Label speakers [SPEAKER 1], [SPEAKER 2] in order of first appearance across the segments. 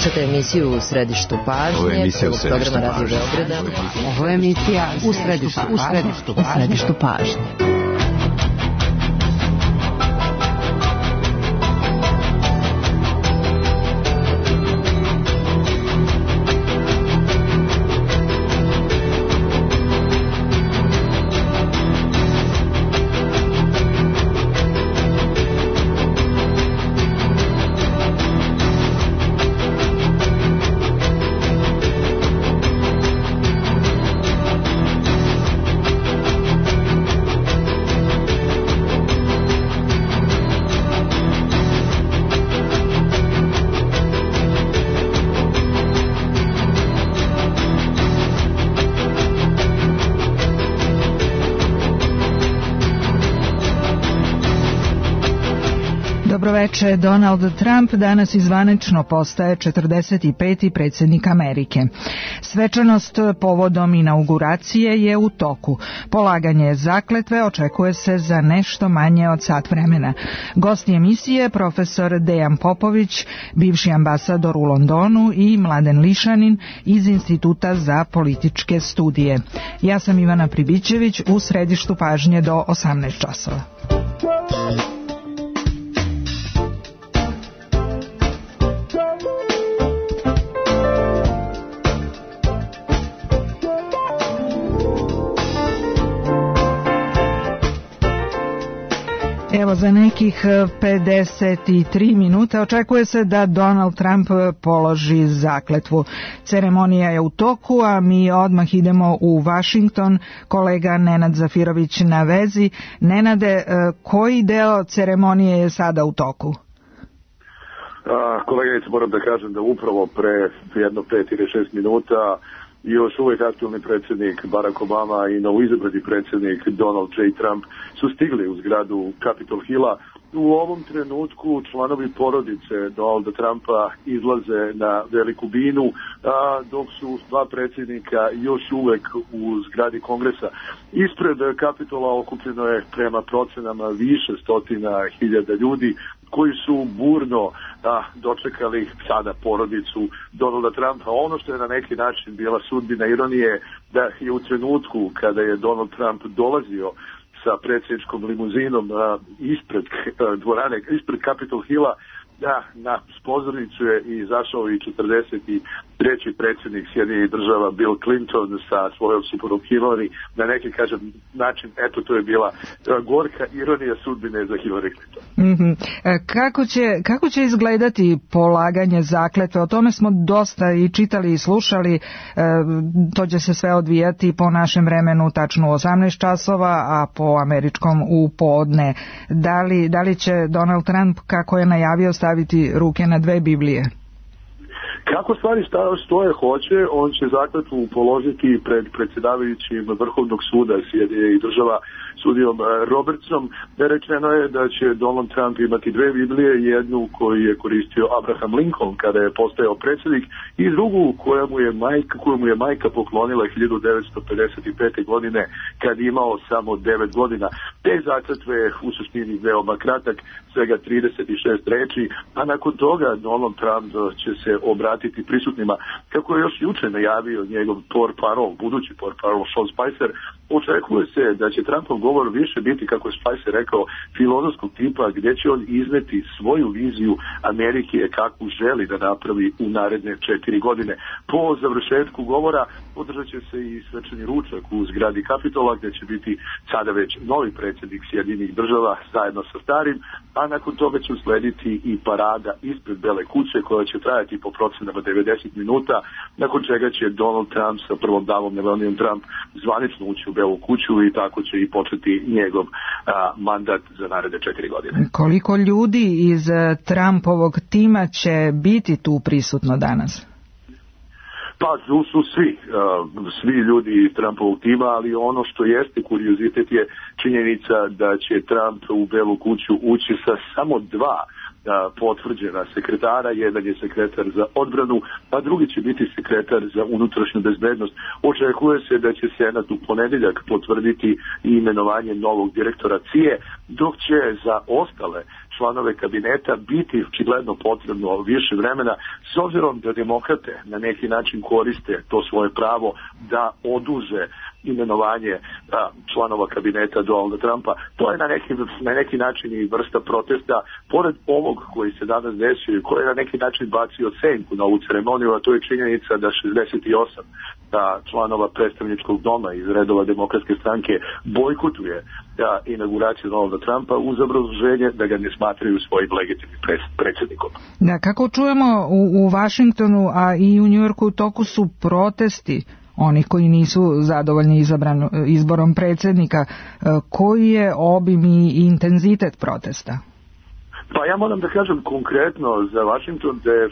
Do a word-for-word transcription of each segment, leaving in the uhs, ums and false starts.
[SPEAKER 1] Slušate emisiju U središtu pažnje, prvog programa Radio Beograda.
[SPEAKER 2] Ovo je emisija U središtu, u središtu, u središtu pažnje.
[SPEAKER 3] Dobroveče. Donald Trump danas izvanično postaje četrdeset peti predsjednik Amerike. Svečanost povodom inauguracije je u toku. Polaganje zakletve očekuje se za nešto manje od sat vremena. Gosti emisije profesor Dejan Popović, bivši ambasador u Londonu, i Mladen Lišanin iz Instituta za političke studije. Ja sam Ivana Pribićević, u središtu pažnje do osamnaest časova. Evo, za nekih pedeset tri minuta očekuje se da Donald Trump položi zakletvu. Ceremonija je u toku, a mi odmah idemo u Washington. Kolega Nenad Zafirović na vezi. Nenade, koji deo ceremonije je sada u toku?
[SPEAKER 4] Koleginice, moram da kažem da upravo pre jedno pet ili šest minuta još uvijek aktualni predsjednik Barack Obama i novoizabrani predsjednik Donald J. Trump su stigli u zgradu Capitol Hilla. U ovom trenutku članovi porodice Donalda Trumpa izlaze na veliku binu, a dok su dva predsjednika još uvijek u zgradi Kongresa. Ispred Capitola okupljeno je prema procenama više stotina hiljada ljudi koji su burno a, dočekali sada porodicu Donalda Trumpa. Ono što je na neki način bila sudbina ironije, da je u trenutku kada je Donald Trump dolazio sa predsjedničkom limuzinom a, ispred a, dvorane, ispred Capitol Hilla, da, na pozornicu je izašao i četrdeset treći predsjednik Sjedinjenih država Bill Clinton sa svojom suprugom Hillary. Na neki, kažem, način, eto, to je bila gorka ironija sudbine za Hillary Clinton.
[SPEAKER 3] Mm-hmm. Kako će, kako će izgledati polaganje zakletve? O tome smo dosta i čitali i slušali. E, to će se sve odvijati po našem vremenu tačno u osamnaest časova, a po američkom u podne. Da li, da li će Donald Trump, kako je najavio, staviti ruke na dve Biblije?
[SPEAKER 4] Kako stvari stoje hoće, on će zakletvu položiti pred predsjedavajućim Vrhovnog suda Sjedinjenih država sudijom Robertsom. Rečeno je da će Donald Trump imati dve Biblije, jednu koju je koristio Abraham Lincoln kada je postajao predsjednik i drugu koja mu je majka, koju mu je majka poklonila hiljadu devetsto pedeset pete. godine kad je imao samo devet godina. Te zakletve je u suštini veoma kratak, svega trideset šest reči, a nakon toga Donald Trump će se obratiti prisutnima. Kako je još juče najavio njegov portparol, budući portparol Sean Spicer, očekuje se da će Trumpov govor više biti, kako je Spicer rekao, filozofskog tipa, gdje će on izneti svoju viziju Amerike kakvu želi da napravi u naredne četiri godine. Po završetku govora održat će se i svečani ručak u zgradi Kapitola, gdje će biti sada već novi predsjednik Sjedinjenih država zajedno sa starim, a nakon toga će uslediti i parada ispred Bele kuće koja će trajati po procenama devedeset minuta, nakon čega će Donald Trump sa prvom damom Melaniom Trump zvanično ući u Belu kuću i tako će i početi njegov a, mandat za naredne četiri godine.
[SPEAKER 3] Koliko ljudi iz Trumpovog tima će biti tu prisutno danas?
[SPEAKER 4] Pa tu su svi, uh, svi ljudi iz Trumpovog tima, ali ono što jeste kuriozitet je činjenica da će Trump u Belu kuću ući sa samo dva potvrđena sekretara. Jedan je sekretar za odbranu, a drugi će biti sekretar za unutrašnju bezbednost. Očekuje se da će Senat u ponedjeljak potvrditi i imenovanje novog direktora C I A, dok će za ostale članove kabineta biti očigledno potrebno više vremena, s obzirom da demokrate na neki način koriste to svoje pravo da oduže imenovanje a, članova kabineta Donalda Trumpa. To je na neki, na neki način i vrsta protesta, pored ovog koji se danas desio i koji je na neki način bacio senku na ovu ceremoniju, a to je činjenica da šezdeset osam da članova predstavničkog doma iz redova demokratske stranke bojkotuje da inauguraciju Donalda Trumpa uz obrazloženje da ga ne smatraju svojim legitimnim predsjednikom.
[SPEAKER 3] Da, kako čujemo u, u Vašingtonu, a i u Njujorku u toku su protesti oni koji nisu zadovoljni izabran, izborom predsjednika. Koji je obim i intenzitet protesta?
[SPEAKER 4] Pa ja moram da kažem konkretno za Washington da je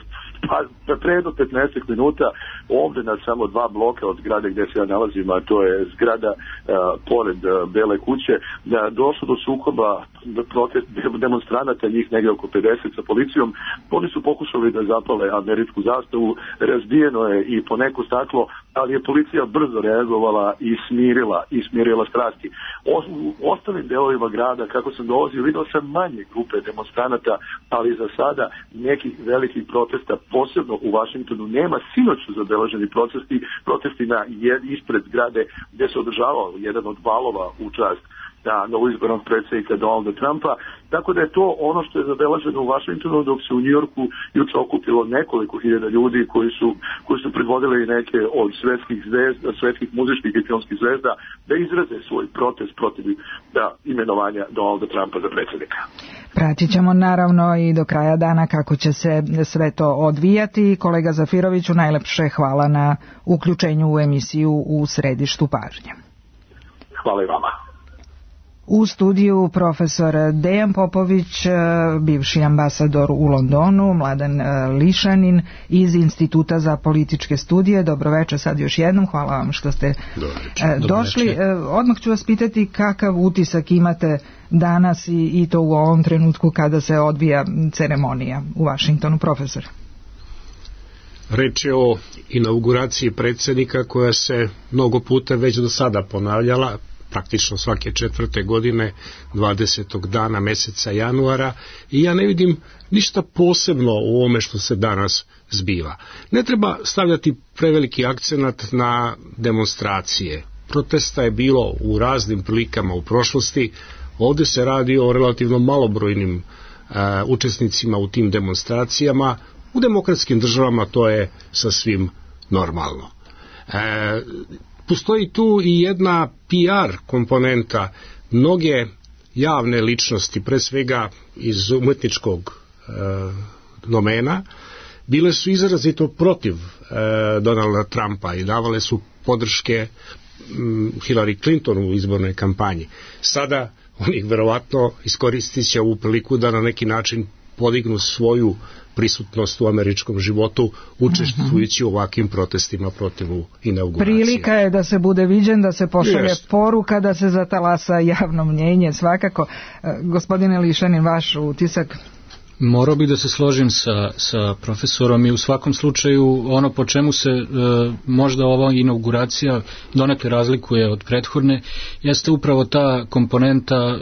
[SPEAKER 4] pa pre jedno petnaest minuta ovdje na samo dva bloka od zgrade gdje se ja nalazim, a to je zgrada uh, pored uh, Bele kuće, da došlo do sukoba protest, demonstranata, njih negdje oko pedeset sa policijom. Oni su pokušali da zapale američku zastavu, razbijeno je i po neko staklo, ali je policija brzo reagovala i smirila, i smirila strasti. O, u ostalim delovima grada, kako sam dolazio, vidio sam manje grupe demonstranata, ali za sada nekih velikih protesta, posebno u Vašingtonu, nema. Sinoć su zabeleženi protesti, protesti na jed, ispred zgrade gdje se održavao jedan od valova u čast na novoizbornog predsjednika Donalda Trumpa, tako da je to ono što je zabeleženo u Vašingtonu, dok se u Njujorku juče okupilo nekoliko hiljada ljudi koji su, koji su predvodili neke od svetskih zvezda, svetskih muzičkih i filmskih zvezda da izraze svoj protest protiv da, imenovanja Donalda Trumpa za predsjednika.
[SPEAKER 3] Pratit ćemo naravno i do kraja dana kako će se sve to odvijati. Kolega Zafiroviću, najlepše hvala na uključenju u emisiju U središtu pažnje.
[SPEAKER 4] Hvala i vama.
[SPEAKER 3] U studiju profesor Dejan Popović, bivši ambasador u Londonu, Mladen Lišanin iz Instituta za političke studije. Dobroveče sad još jednom, hvala vam što ste Dobroveče. došli. Dobroveče. Odmah ću vas pitati kakav utisak imate danas i, i to u ovom trenutku kada se odvija ceremonija u Vašingtonu, profesor.
[SPEAKER 5] Reč je o inauguraciji predsjednika koja se mnogo puta već do sada ponavljala, praktično svake četvrte godine, dvadesetog dana meseca januara, i ja ne vidim ništa posebno u ovome što se danas zbiva. Ne treba stavljati preveliki akcenat na demonstracije. Protesta je bilo u raznim prilikama u prošlosti. Ovdje se radi o relativno malobrojnim uh, učesnicima u tim demonstracijama. U demokratskim državama to je sasvim normalno. Uh, Postoji tu i jedna P R komponenta. Mnoge javne ličnosti, pre svega iz umetničkog e, domena, bile su izrazito protiv e, Donalda Trumpa i davale su podrške m, Hillary Clinton u izbornoj kampanji. Sada oni verovatno iskoristit će ovu priliku da na neki način podignu svoju prisutnost u američkom životu, učestvujući u ovakvim protestima protiv inauguracije.
[SPEAKER 3] Prilika je da se bude viđen, da se pošalje yes. poruka, da se zatalasa javno mnjenje, svakako. Gospodine Lišanin, vaš utisak?
[SPEAKER 6] Morao bih da se složim sa, sa profesorom i u svakom slučaju ono po čemu se e, možda ova inauguracija donekle razlikuje od prethodne jeste upravo ta komponenta e,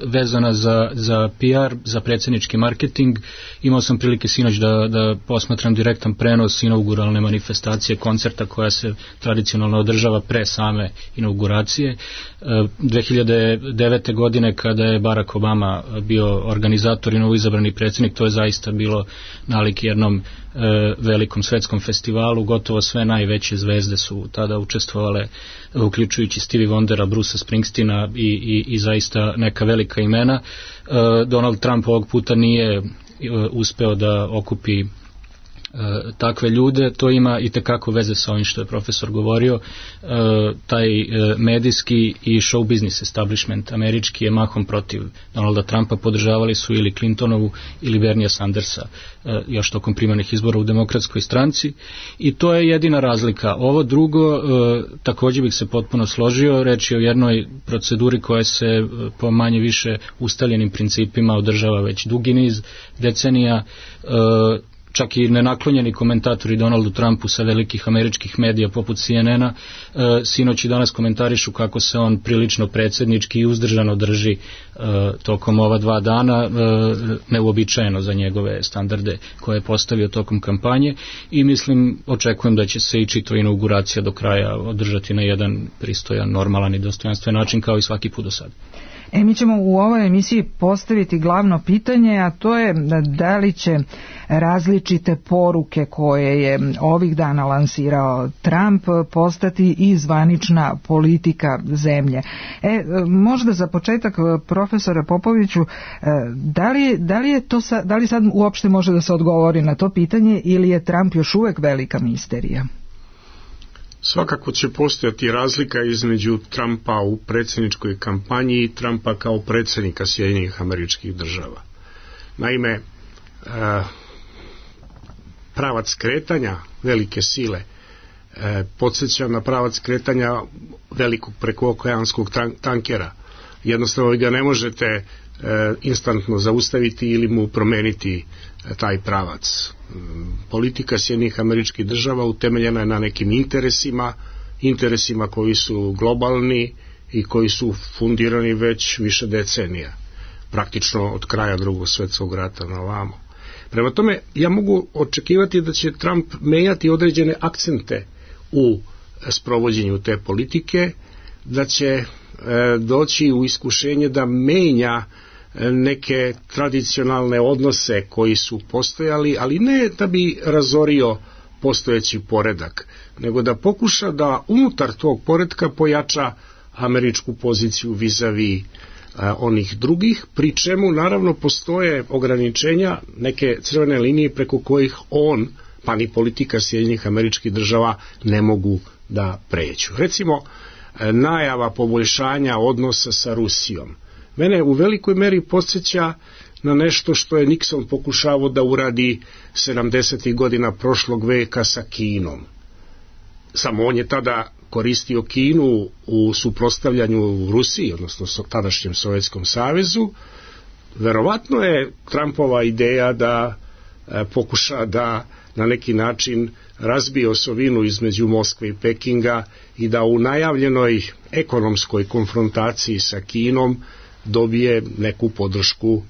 [SPEAKER 6] vezana za, za P R, za predsjednički marketing. Imao sam prilike sinoć da, da posmatram direktan prenos inauguralne manifestacije koncerta koja se tradicionalno održava pre same inauguracije. E, dve hiljade devete. godine kada je Barack Obama bio organizator i novoizabrani predsjednik, to je zaista bilo nalik jednom e, velikom svetskom festivalu. Gotovo sve najveće zvezde su tada učestvovale, uključujući Stevie Wondera, Brucea Springsteena i, i, i zaista neka velika imena. E, Donald Trump ovog puta nije e, uspeo da okupi E, takve ljude. To ima i tekako veze sa ovim što je profesor govorio. E, taj e, medijski i show business establishment američki je mahom protiv Donalda Trumpa, podržavali su ili Clintonovu ili Bernija Sandersa e, još tokom primarnih izbora u demokratskoj stranci, i to je jedina razlika. Ovo drugo, e, također bih se potpuno složio, reč je o jednoj proceduri koja se e, po manje više ustaljenim principima održava već dugi niz decenija. e, čak i nenaklonjeni komentatori Donaldu Trumpu sa velikih američkih medija poput C N N-a e, sinoć i danas komentarišu kako se on prilično predsjednički i uzdržano drži e, tokom ova dva dana, e, neuobičajeno za njegove standarde koje je postavio tokom kampanje, i mislim, očekujem da će se i čitava inauguracija do kraja održati na jedan pristojan, normalan i dostojanstven način kao i svaki put do sada.
[SPEAKER 3] E, mi ćemo u ovoj emisiji postaviti glavno pitanje, a to je da li će različite poruke koje je ovih dana lansirao Trump postati i zvanična politika zemlje. E, možda za početak, profesore Popoviću, da li, da li je to sa, da li sad uopšte može da se odgovori na to pitanje ili je Trump još uvek velika misterija?
[SPEAKER 5] Svakako će postojati razlika između Trumpa u predsjedničkoj kampanji i Trumpa kao predsjednika Sjedinjenih Američkih Država. Naime, pravac kretanja velike sile podsjeća na pravac kretanja velikog prekookeanskog tankera. Jednostavno ga ne možete instantno zaustaviti ili mu promeniti taj pravac. Politika Sjedinjenih Američkih Država utemeljena je na nekim interesima, interesima koji su globalni i koji su fundirani već više decenija, praktično od kraja Drugog svjetskog rata na ovamo. Prema tome, ja mogu očekivati da će Trump menjati određene akcente u sprovođenju te politike, da će e, doći u iskušenje da menja neke tradicionalne odnose koji su postojali, ali ne da bi razorio postojeći poredak, nego da pokuša da unutar tog poredka pojača američku poziciju vis-a-vis onih drugih, pri čemu naravno postoje ograničenja, neke crvene linije preko kojih on, pa ni politika Sjedinjenih Američkih Država ne mogu da pređu. Recimo, najava poboljšanja odnosa sa Rusijom mene u velikoj meri podsjeća na nešto što je Nixon pokušavao da uradi sedamdesetih godina prošlog veka sa Kinom. Samo on je tada koristio Kinu u suprotstavljanju Rusiji, odnosno tadašnjem Sovjetskom savezu. Verovatno je Trumpova ideja da e, pokuša da na neki način razbije osovinu između Moskve i Pekinga i da u najavljenoj ekonomskoj konfrontaciji sa Kinom dobije neku podršku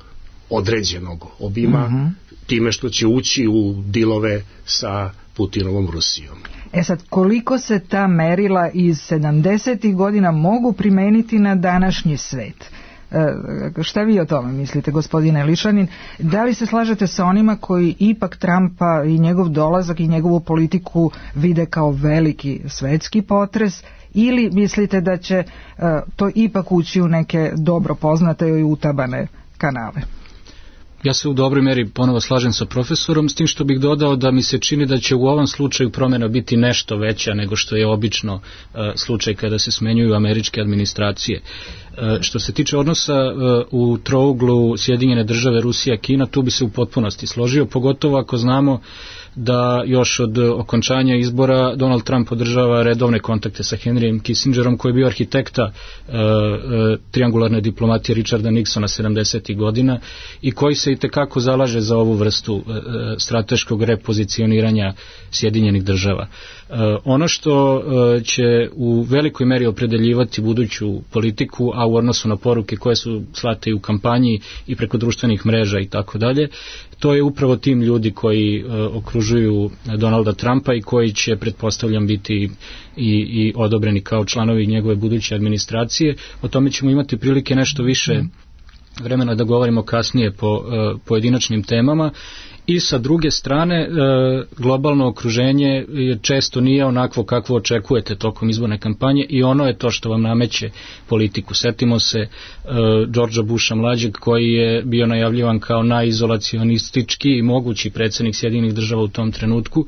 [SPEAKER 5] određenog obima, uh-huh. time što će ući u dilove sa Putinovom Rusijom.
[SPEAKER 3] E sad, koliko se ta merila iz sedamdesetih godina mogu primeniti na današnji svet? E, šta vi o tome mislite, gospodine Lišanin? Da li se slažete sa onima koji ipak Trumpa i njegov dolazak i njegovu politiku vide kao veliki svetski potres, ili mislite da će uh, to ipak ući u neke dobro poznate i utabane kanale?
[SPEAKER 6] Ja se u dobroj meri ponovo slažem sa profesorom, s tim što bih dodao da mi se čini da će u ovom slučaju promjena biti nešto veća nego što je obično uh, slučaj kada se smenjuju američke administracije. Uh, što se tiče odnosa uh, u trouglu Sjedinjene Države, Rusija, Kina, tu bi se u potpunosti složio, pogotovo ako znamo da još od okončanja izbora Donald Trump održava redovne kontakte sa Henryjem Kissingerom, koji je bio arhitekta e, e, triangularne diplomatije Richarda Nixona sedamdesetih godina i koji se itekako zalaže za ovu vrstu e, strateškog repozicioniranja Sjedinjenih Država. E, ono što e, će u velikoj meri opredeljivati buduću politiku, a u odnosu na poruke koje su slate i u kampanji i preko društvenih mreža i tako dalje, to je upravo tim ljudi koji e, okružuju Donalda Trumpa i koji će, pretpostavljam, biti i, i odobreni kao članovi njegove buduće administracije. O tome ćemo imati prilike nešto više vremena da govorimo kasnije po e, pojedinačnim temama. I sa druge strane, e, globalno okruženje često nije onakvo kakvo očekujete tokom izborne kampanje i ono je to što vam nameće politiku. Setimo se e, Georgea Busha mlađeg, koji je bio najavljivan kao najizolacionistički i mogući predsjednik Sjedinjenih Država u tom trenutku.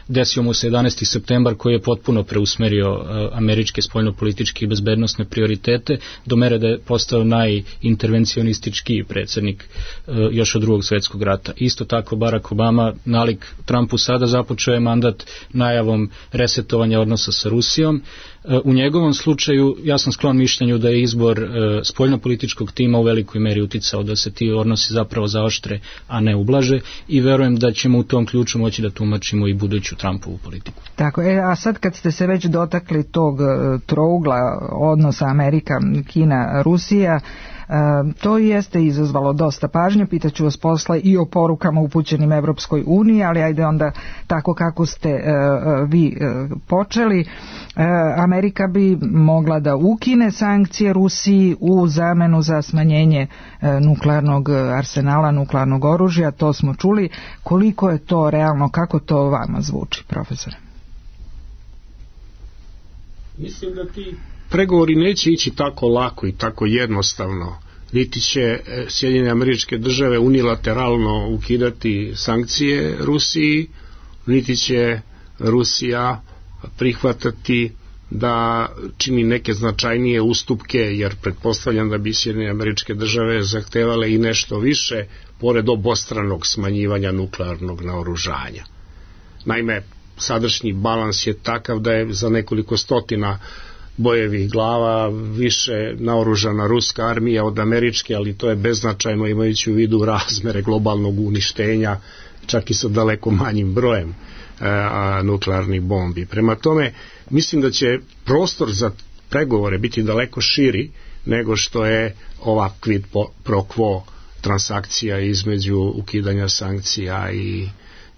[SPEAKER 6] Desio mu se jedanaesti septembar, koji je potpuno preusmerio uh, američke spoljnopolitičke i bezbednosne prioritete do mere da je postao najintervencionistički predsjednik uh, još od Drugog svjetskog rata. Isto tako Barack Obama, nalik Trumpu sada, započeo je mandat najavom resetovanja odnosa sa Rusijom. U njegovom slučaju ja sam sklon mišljenju da je izbor spoljnopolitičkog tima u velikoj meri uticao da se ti odnosi zapravo zaoštre, a ne ublaže, i verujem da ćemo u tom ključu moći da tumačimo i buduću Trumpovu politiku.
[SPEAKER 3] Tako, e, a sad kad ste se već dotakli tog trougla odnosa Amerika, Kina, Rusija, E, to jeste izazvalo dosta pažnje. Pitaću vas posle i o porukama upućenim Evropskoj uniji, ali ajde onda tako kako ste e, vi e, počeli. E, Amerika bi mogla da ukine sankcije Rusiji u zamenu za smanjenje e, nuklearnog arsenala, nuklearnog oružja, to smo čuli. Koliko je to realno, kako to vama zvuči, profesore?
[SPEAKER 5] Mislim da ti pregovori neće ići tako lako i tako jednostavno. Niti će Sjedinjene Američke Države unilateralno ukidati sankcije Rusiji, niti će Rusija prihvatati da čini neke značajnije ustupke, jer pretpostavljam da bi Sjedinjene Američke Države zahtevale i nešto više pored obostranog smanjivanja nuklearnog naoružanja. Naime, sadašnji balans je takav da je za nekoliko stotina bojevih glava više naoružana ruska armija od američke, ali to je beznačajno imajući u vidu razmere globalnog uništenja, čak i sa daleko manjim brojem a, nuklearnih bombi. Prema tome, mislim da će prostor za pregovore biti daleko širi nego što je ova quid pro quo transakcija između ukidanja sankcija i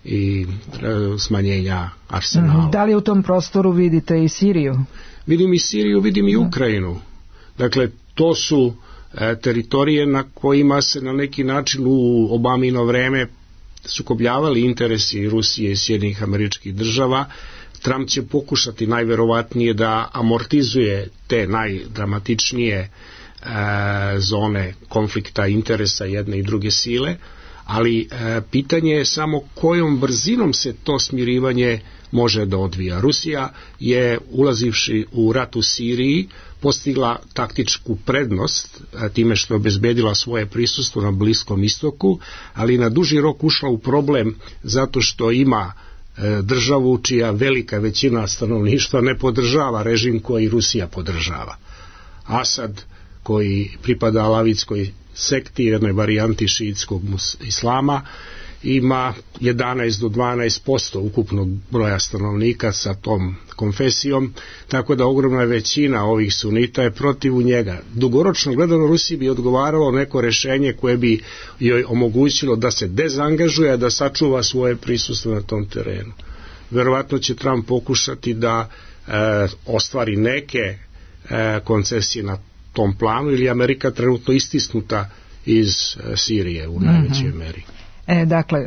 [SPEAKER 5] i e, smanjenja arsenala.
[SPEAKER 3] Da li u tom prostoru vidite i Siriju?
[SPEAKER 5] Vidim i Siriju, vidim i Ukrajinu. Dakle, to su e, teritorije na kojima se na neki način u Obamino vreme sukobljavali interesi Rusije i Sjedinjenih Američkih Država. Trump će pokušati najverovatnije da amortizuje te najdramatičnije e, zone konflikta interesa jedne i druge sile, ali e, pitanje je samo kojom brzinom se to smirivanje može da odvija. Rusija je, ulazivši u rat u Siriji, postigla taktičku prednost a, time što je obezbedila svoje prisustvo na Bliskom istoku, ali na duži rok ušla u problem zato što ima e, državu čija velika većina stanovništva ne podržava režim koji Rusija podržava. Asad, koji pripada alavitskoj sekti, jednoj varijanti šiitskog islama, ima jedanaest do dvanaest posto ukupnog broja stanovnika sa tom konfesijom, tako da ogromna većina ovih sunita je protiv njega. Dugoročno gledano Rusiji bi odgovaralo neko rešenje koje bi joj omogućilo da se dezangažuje, da sačuva svoje prisustvo na tom terenu. Verovatno će Trump pokušati da e, ostvari neke e, koncesije na tom planu, ili Amerika trenutno istisnuta iz e, Sirije u najvećoj mm-hmm. meri.
[SPEAKER 3] E, dakle,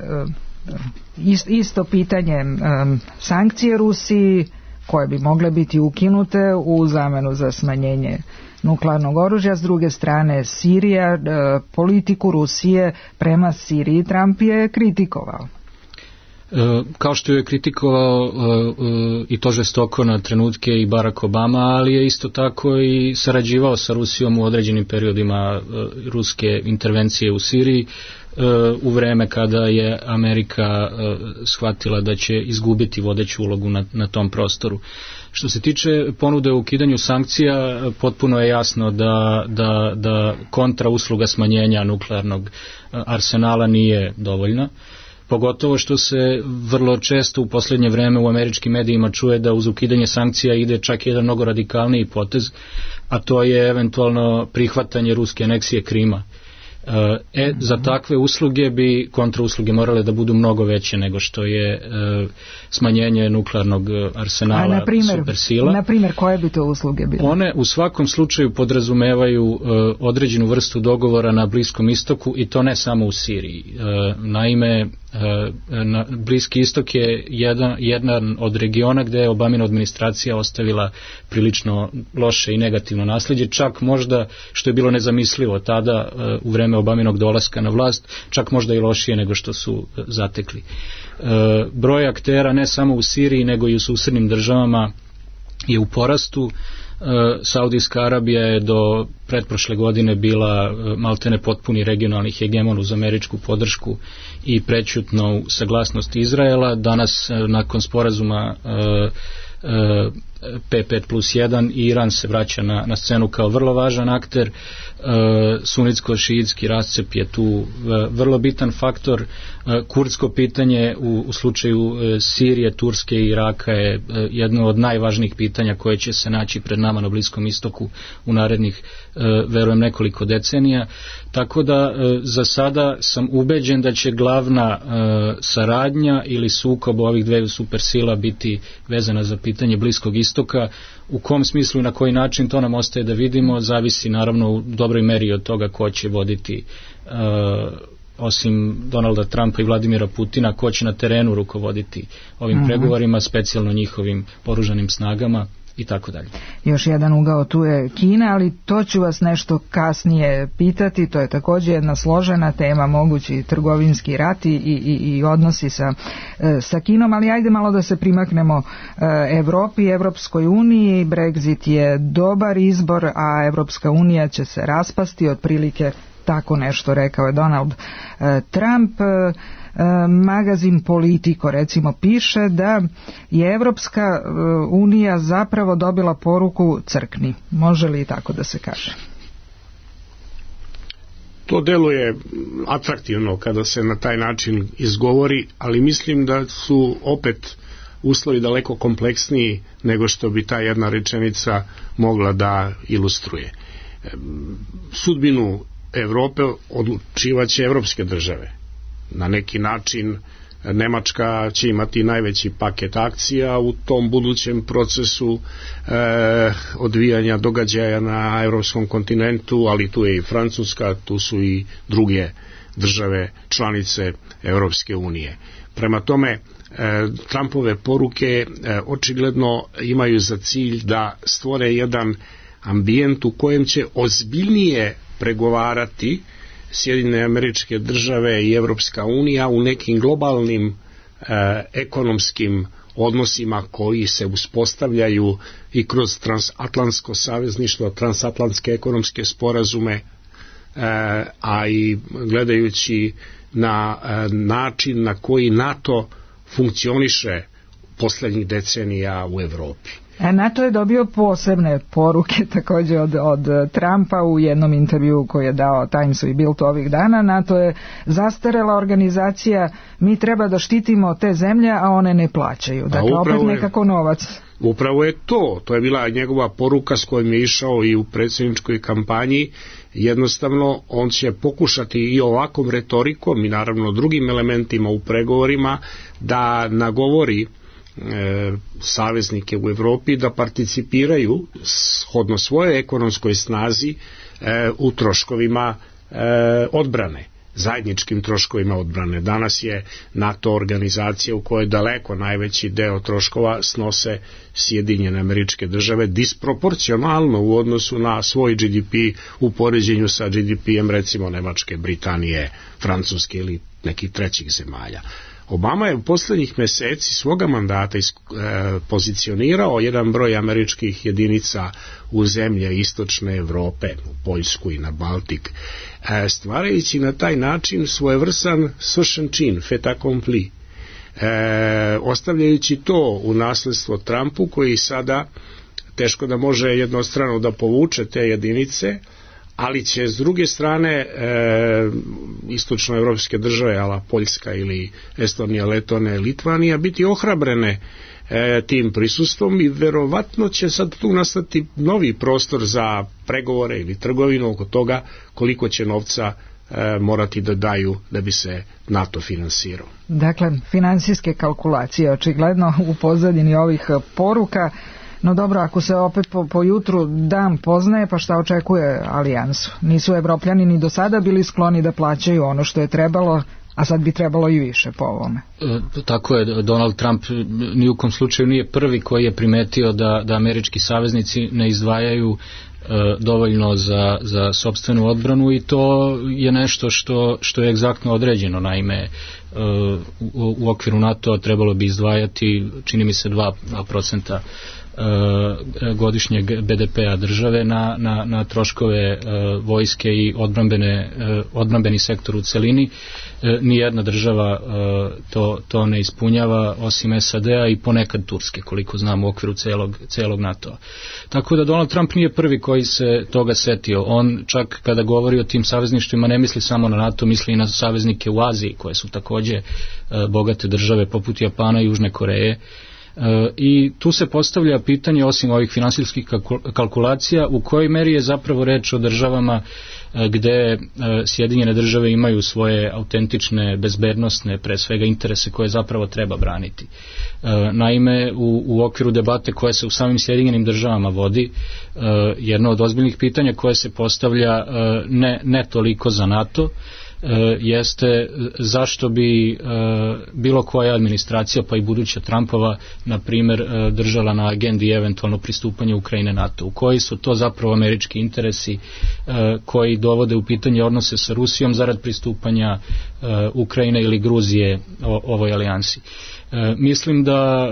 [SPEAKER 3] isto pitanje, sankcije Rusiji koje bi mogle biti ukinute u zamenu za smanjenje nuklearnog oružja, s druge strane Sirija, politiku Rusije prema Siriji Trump je kritikovao.
[SPEAKER 6] Kao što je kritikovao i to žestoko na trenutke i Barack Obama, ali je isto tako i sarađivao sa Rusijom u određenim periodima ruske intervencije u Siriji, u vreme kada je Amerika shvatila da će izgubiti vodeću ulogu na, na tom prostoru. Što se tiče ponude o ukidanju sankcija, potpuno je jasno da, da, da kontra usluga smanjenja nuklearnog arsenala nije dovoljna. Pogotovo što se vrlo često u posljednje vreme u američkim medijima čuje da uz ukidanje sankcija ide čak jedan mnogo radikalniji potez, a to je eventualno prihvatanje ruske aneksije Krima. E, za takve usluge bi kontrausluge morale da budu mnogo veće nego što je e, smanjenje nuklearnog arsenala
[SPEAKER 3] na primjer,
[SPEAKER 6] supersila.
[SPEAKER 3] Na primjer, koje bi to usluge bile?
[SPEAKER 6] One u svakom slučaju podrazumevaju e, određenu vrstu dogovora na Bliskom istoku, i to ne samo u Siriji. E, naime, na Bliski istok je jedan, jedan od regiona gde je Obamina administracija ostavila prilično loše i negativno nasljeđe, čak možda, što je bilo nezamislivo tada u vreme Obaminog dolaska na vlast, čak možda i lošije nego što su zatekli. Broj aktera ne samo u Siriji nego i u susednim državama je u porastu. Saudijska Arabija je do pretprošle godine bila maltene potpuni regionalni hegemon uz američku podršku i prećutnu saglasnost Izraela. Danas nakon sporazuma P pet plus jedan Iran se vraća na, na scenu kao vrlo važan akter. E, sunitsko-šiitski rascep je tu e, vrlo bitan faktor. E, kurdsko pitanje u, u slučaju e, Sirije, Turske i Iraka je e, jedno od najvažnijih pitanja koje će se naći pred nama na Bliskom istoku u narednih e, verujem nekoliko decenija. Tako da e, za sada sam ubeđen da će glavna e, saradnja ili sukob ovih dveju supersila biti vezana za pitanje Bliskog istoka. U kom smislu i na koji način to nam ostaje da vidimo, zavisi naravno u dobroj meri od toga ko će voditi uh, osim Donalda Trumpa i Vladimira Putina, ko će na terenu rukovoditi ovim uh-huh. pregovorima, specijalno njihovim oružanim snagama i tako dalje.
[SPEAKER 3] Još jedan ugao tu je Kina, ali to ću vas nešto kasnije pitati, to je također jedna složena tema, mogući trgovinski rat i, i, i odnosi sa, sa Kinom, ali ajde malo da se primaknemo Evropi, Evropskoj uniji. Brexit je dobar izbor, a Evropska unija će se raspasti, otprilike tako nešto rekao je Donald Trump. Magazin Politico recimo piše da je Evropska unija zapravo dobila poruku crkni. Može li tako da se kaže?
[SPEAKER 5] To deluje atraktivno kada se na taj način izgovori, ali mislim da su opet uslovi daleko kompleksniji nego što bi ta jedna rečenica mogla da ilustruje. Sudbinu Evrope odlučivaće evropske države. Na neki način Nemačka će imati najveći paket akcija u tom budućem procesu e, odvijanja događaja na evropskom kontinentu, ali tu je i Francuska, tu su i druge države članice Evropske unije. Prema tome, e, Trumpove poruke e, očigledno imaju za cilj da stvore jedan ambijent u kojem će ozbiljnije pregovarati Sjedinjene Američke Države i Evropska unija u nekim globalnim e, ekonomskim odnosima koji se uspostavljaju i kroz transatlantsko savezništvo, transatlantske ekonomske sporazume, e, a i gledajući na e, način na koji NATO funkcioniše poslednjih decenija u Evropi.
[SPEAKER 3] NATO je dobio posebne poruke također od, od Trumpa u jednom intervju koji je dao Timesu i Bildu ovih dana. NATO je zastarela organizacija, mi treba da štitimo te zemlje, a one ne plaćaju. Dakle, opet nekako novac.
[SPEAKER 5] Upravo je to, to je bila njegova poruka s kojom je išao i u predsjedničkoj kampanji. Jednostavno on će pokušati i ovakvom retorikom i naravno drugim elementima u pregovorima da nagovori E, saveznike u Evropi da participiraju shodno svojoj ekonomskoj snazi e, u troškovima e, odbrane, zajedničkim troškovima odbrane. Danas je NATO organizacija u kojoj daleko najveći deo troškova snose Sjedinjene Američke Države disproporcionalno u odnosu na svoj G D P u poređenju sa G D P-em recimo Nemačke, Britanije, Francuske ili nekih trećih zemalja. Obama je u poslednjih meseci svoga mandata e, pozicionirao jedan broj američkih jedinica u zemlje istočne Evrope, u Poljsku i na Baltik, e, stvarajući na taj način svojevrsan svršen čin, fait accompli, e, ostavljajući to u nasledstvo Trumpu, koji sada teško da može jednostrano da povuče te jedinice, ali će s druge strane e, istočnoevropske države, ala Poljska ili Estonija, Letonija, Litvanija, biti ohrabrene e, tim prisustvom i verovatno će sad tu nastati novi prostor za pregovore ili trgovinu oko toga koliko će novca e, morati da daju da bi se NATO finansirao.
[SPEAKER 3] Dakle, finansijske kalkulacije očigledno u pozadini ovih poruka. No dobro, ako se opet po, po jutru dan poznaje, pa šta očekuje alijansu? Nisu Evropljani ni do sada bili skloni da plaćaju ono što je trebalo, a sad bi trebalo i više po ovome.
[SPEAKER 6] E, tako je, Donald Trump ni u kom slučaju nije prvi koji je primetio da, da američki saveznici ne izdvajaju dovoljno za, za sopstvenu odbranu i to je nešto što, što je egzaktno određeno. Naime, u, u okviru NATO trebalo bi izdvajati, čini mi se, dva procenta godišnjeg be de pea države na, na, na troškove vojske i odbrambene, odbrambeni sektor u celini. Nijedna država to, to ne ispunjava osim es a de a i ponekad Turske, koliko znam, u okviru celog, celog NATO-a. Tako da Donald Trump nije prvi koji se toga setio. On čak kada govori o tim savezništvima ne misli samo na NATO, misli i na saveznike u Aziji koje su takođe bogate države poput Japana i Južne Koreje. I tu se postavlja pitanje, osim ovih finansijskih kalkulacija, u kojoj meri je zapravo reč o državama gde Sjedinjene države imaju svoje autentične, bezbednosne, pre svega interese koje zapravo treba braniti. Naime, u, u okviru debate koja se u samim Sjedinjenim državama vodi, jedno od ozbiljnih pitanja koje se postavlja ne, ne toliko za NATO, jeste zašto bi bilo koja administracija, pa i buduća Trumpova, na primjer, držala na agendi eventualno pristupanje Ukrajine NATO. U koji su to zapravo američki interesi koji dovode u pitanje odnose sa Rusijom zarad pristupanja Ukrajine ili Gruzije ovoj alijansi. Mislim da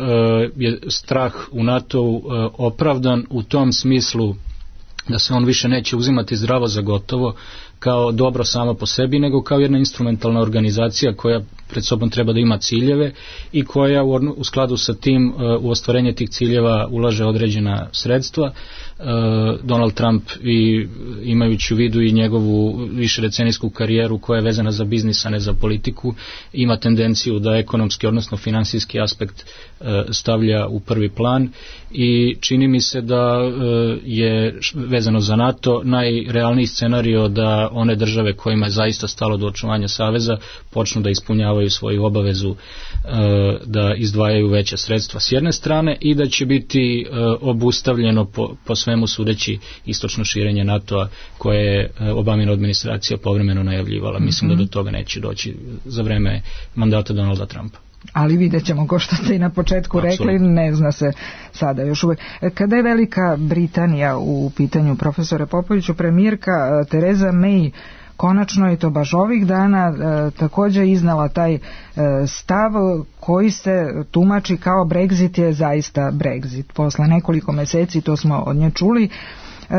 [SPEAKER 6] je strah u NATO opravdan u tom smislu da se on više neće uzimati zdravo za gotovo kao dobro samo po sebi, nego kao jedna instrumentalna organizacija koja pred sobom treba da ima ciljeve i koja u, u skladu sa tim u ostvarenje tih ciljeva ulaže određena sredstva. Donald Trump, i imajući u vidu i njegovu višedecenijsku karijeru koja je vezana za biznis, a ne za politiku, ima tendenciju da ekonomski, odnosno finansijski aspekt stavlja u prvi plan i čini mi se da je vezano za NATO najrealniji scenario da one države kojima je zaista stalo do očuvanja saveza počnu da ispunjavaju svoju obavezu da izdvajaju veća sredstva s jedne strane i da će biti obustavljeno po, po svemu sudeći istočno širenje NATO-a koje je Obamina administracija povremeno najavljivala. Mislim mm-hmm. da do toga neće doći za vreme mandata Donalda Trumpa.
[SPEAKER 3] Ali vidjet ćemo, ko što ste i na početku Absolutno. rekli, ne zna se sada još uvijek. Kada je Velika Britanija u pitanju, profesore Popoviću, premijerka Tereza May konačno je to baš ovih dana e, također iznala taj e, stav koji se tumači kao Brexit je zaista Brexit. Posle nekoliko meseci, to smo od nje čuli, e,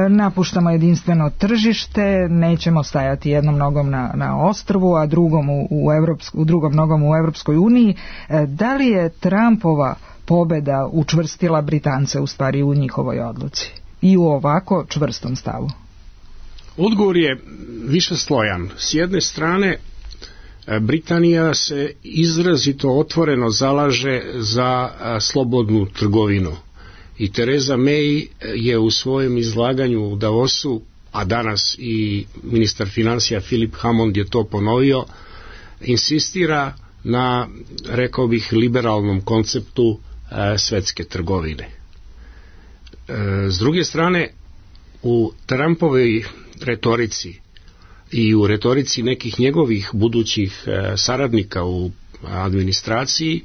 [SPEAKER 3] napuštamo jedinstveno tržište, nećemo stajati jednom nogom na, na ostrvu, a drugom u, u, Evropsku, drugom nogom u Evropskoj uniji. E, da li je Trumpova pobeda učvrstila Britance u stvari u njihovoj odluci i u ovako čvrstom stavu?
[SPEAKER 5] Odgovor je višeslojan. S jedne strane, Britanija se izrazito otvoreno zalaže za slobodnu trgovinu i Tereza May je u svojem izlaganju u Davosu, a danas i ministar financija Philip Hammond je to ponovio, insistira na, rekao bih, liberalnom konceptu svetske trgovine. S druge strane, u Trumpovoj retorici i u retorici nekih njegovih budućih e, saradnika u administraciji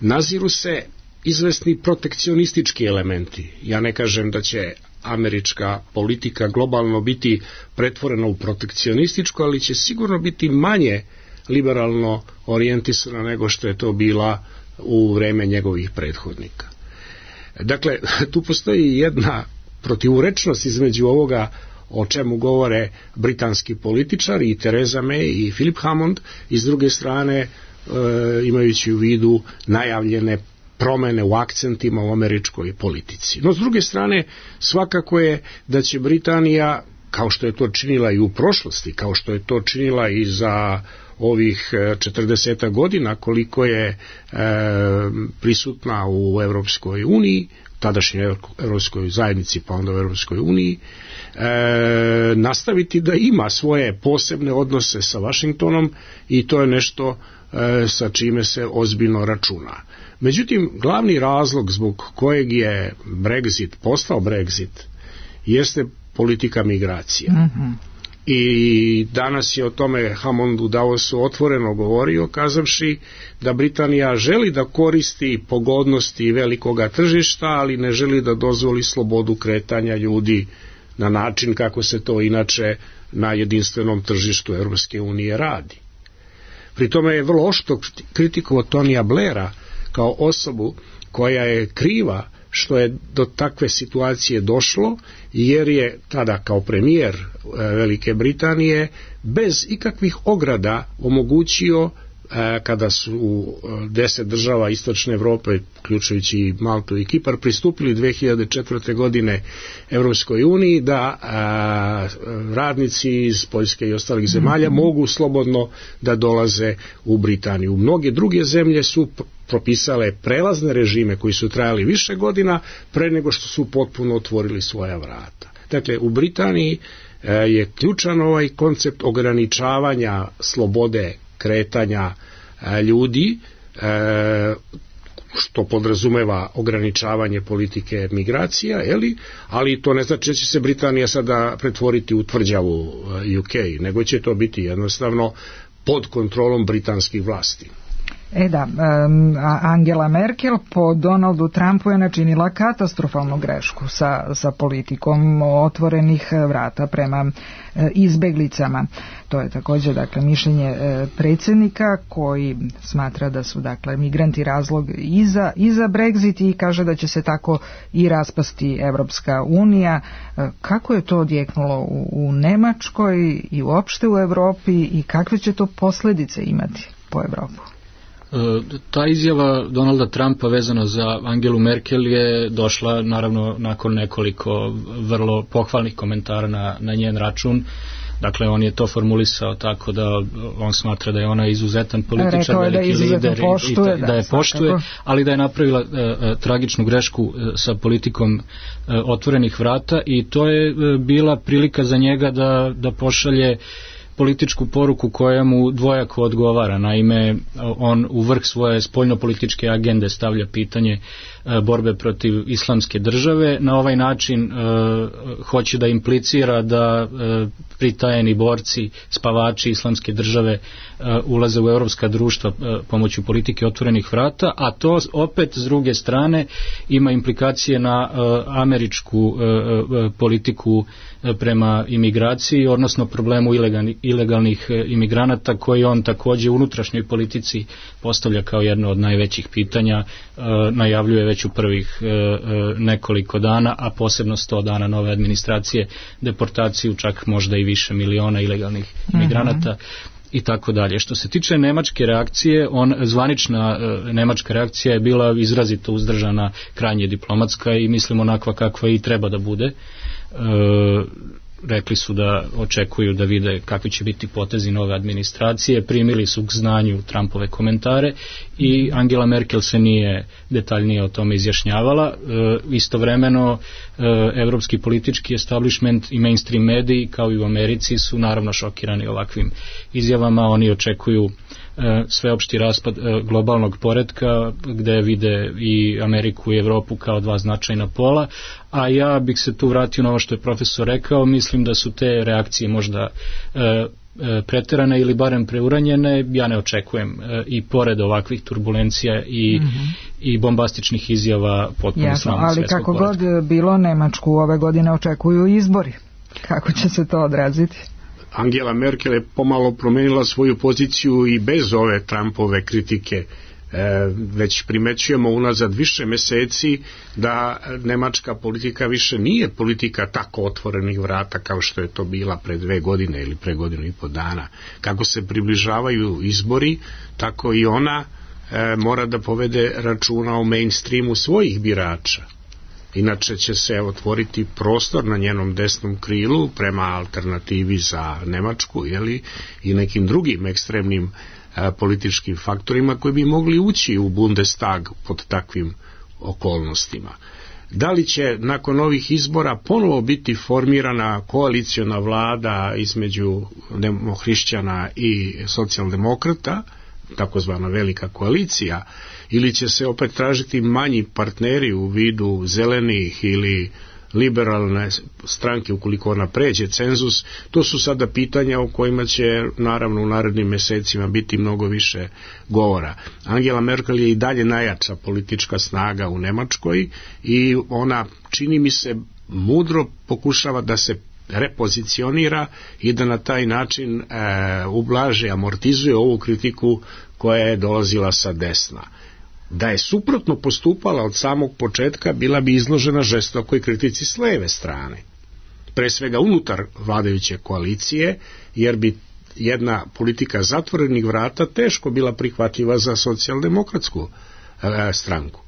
[SPEAKER 5] naziru se izvesni protekcionistički elementi. Ja ne kažem da će američka politika globalno biti pretvorena u protekcionističku, ali će sigurno biti manje liberalno orijentisana nego što je to bila u vreme njegovih prethodnika. Dakle, tu postoji jedna protivurečnost između ovoga o čemu govore britanski političari i Tereza May i Philip Hammond, i s druge strane e, imajući u vidu najavljene promene u akcentima u američkoj politici. No, s druge strane, svakako je da će Britanija, kao što je to činila i u prošlosti, kao što je to činila i za ovih četrdeset godina koliko je e, prisutna u Evropskoj uniji, tadašnjoj Evropskoj zajednici, pa onda u Evropskoj uniji, e, nastaviti da ima svoje posebne odnose sa Vašingtonom i to je nešto e, sa čime se ozbiljno računa. Međutim, glavni razlog zbog kojeg je Brexit postao Brexit jeste politika migracija. Mm-hmm. I danas je o tome Hammond u Davosu otvoreno govorio, kazavši da Britanija želi da koristi pogodnosti velikoga tržišta, ali ne želi da dozvoli slobodu kretanja ljudi na način kako se to inače na jedinstvenom tržištu Europske unije radi. Pri tome je vrlo oštro kritikovao Tonija Blaira kao osobu koja je kriva što je do takve situacije došlo, jer je tada kao premijer Velike Britanije bez ikakvih ograda omogućio, kada su deset država istočne Evrope, uključujući i Maltu i Kipar, pristupili dve hiljade četvrte. godine Evropskoj uniji, da a, radnici iz Poljske i ostalih zemalja mogu slobodno da dolaze u Britaniju. Mnoge druge zemlje su propisale prelazne režime koji su trajali više godina pre nego što su potpuno otvorili svoja vrata. Dakle, u Britaniji a, je ključan ovaj koncept ograničavanja slobode kretanja a, ljudi, a, što podrazumeva ograničavanje politike migracija, jeli? Ali to ne znači da će se Britanija sada pretvoriti u tvrđavu U K, nego će to biti jednostavno pod kontrolom britanskih vlasti.
[SPEAKER 3] E da, Angela Merkel po Donaldu Trumpu je načinila katastrofalnu grešku sa, sa politikom otvorenih vrata prema izbeglicama. To je također dakle mišljenje predsjednika koji smatra da su dakle migranti razlog i za, i za Brexit i kaže da će se tako i raspasti Evropska unija. Kako je to odjeknulo u, u Nemačkoj i uopšte u Europi i kakve će to posljedice imati po Europu?
[SPEAKER 6] Ta izjava Donalda Trumpa vezano za Angelu Merkel je došla naravno nakon nekoliko vrlo pohvalnih komentara na, na njen račun. Dakle, on je to formulisao tako da on smatra da je ona izuzetan političar, veliki lider i da, da je poštuje, ali da je napravila uh, tragičnu grešku uh, sa politikom uh, otvorenih vrata i to je uh, bila prilika za njega da, da pošalje političku poruku koja mu dvojako odgovara. Naime, on u vrh svoje spoljnopolitičke agende stavlja pitanje e, borbe protiv islamske države. Na ovaj način e, hoće da implicira da e, pritajeni borci, spavači islamske države e, ulaze u europska društva e, pomoću politike otvorenih vrata, a to opet s druge strane ima implikacije na e, američku e, e, politiku e, prema imigraciji, odnosno problemu ilegalnih ilegalnih imigranata koji on također u unutrašnjoj politici postavlja kao jedno od najvećih pitanja, e, najavljuje već u prvih e, nekoliko dana, a posebno sto dana nove administracije, deportaciju čak možda i više miliona ilegalnih imigranata. Mm-hmm. I tako dalje. Što se tiče nemačke reakcije, on, zvanična e, nemačka reakcija je bila izrazito uzdržana, krajnje diplomatska i mislim onakva kakva i treba da bude. E, rekli su da očekuju da vide kakvi će biti potezi nove administracije, primili su k znanju Trumpove komentare i Angela Merkel se nije detaljnije o tome izjašnjavala. E, istovremeno e, evropski politički establishment i mainstream mediji kao i u Americi su naravno šokirani ovakvim izjavama. Oni očekuju e, sveopšti raspad e, globalnog poretka gde vide i Ameriku i Evropu kao dva značajna pola, a ja bih se tu vratio na ovo što je profesor rekao. Mislim da su te reakcije možda e, e, preterane ili barem preuranjene. Ja ne očekujem e, i pored ovakvih turbulencija i, mm-hmm. i bombastičnih izjava potpuno slavnog svjetskog
[SPEAKER 3] ali kako
[SPEAKER 6] poretka.
[SPEAKER 3] God bilo, Nemačku ove godine očekuju izbori. Kako će se to odraziti?
[SPEAKER 5] Angela Merkel je pomalo promenila svoju poziciju i bez ove Trumpove kritike. E, već primećujemo unazad više meseci da nemačka politika više nije politika tako otvorenih vrata kao što je to bila pre dve godine ili pre godinu i po dana. Kako se približavaju izbori, tako i ona e, mora da povede računa o mainstreamu svojih birača. Inače će se otvoriti prostor na njenom desnom krilu prema alternativi za Nemačku, jeli, i nekim drugim ekstremnim a, političkim faktorima koji bi mogli ući u Bundestag pod takvim okolnostima. Da li će nakon ovih izbora ponovo biti formirana koaliciona vlada između demohrišćana i socijaldemokrata, takozvana velika koalicija, ili će se opet tražiti manji partneri u vidu zelenih ili liberalne stranke ukoliko ona pređe cenzus, to su sada pitanja o kojima će naravno u narednim mesecima biti mnogo više govora. Angela Merkel je i dalje najjača politička snaga u Nemačkoj i ona, čini mi se, mudro pokušava da se repozicionira i da na taj način e, ublaže, amortizuje ovu kritiku koja je dolazila sa desna. Da je suprotno postupala od samog početka, bila bi izložena žestokoj kritici s leve strane. Pre svega unutar vladajuće koalicije, jer bi jedna politika zatvorenih vrata teško bila prihvatljiva za socijaldemokratsku e, stranku.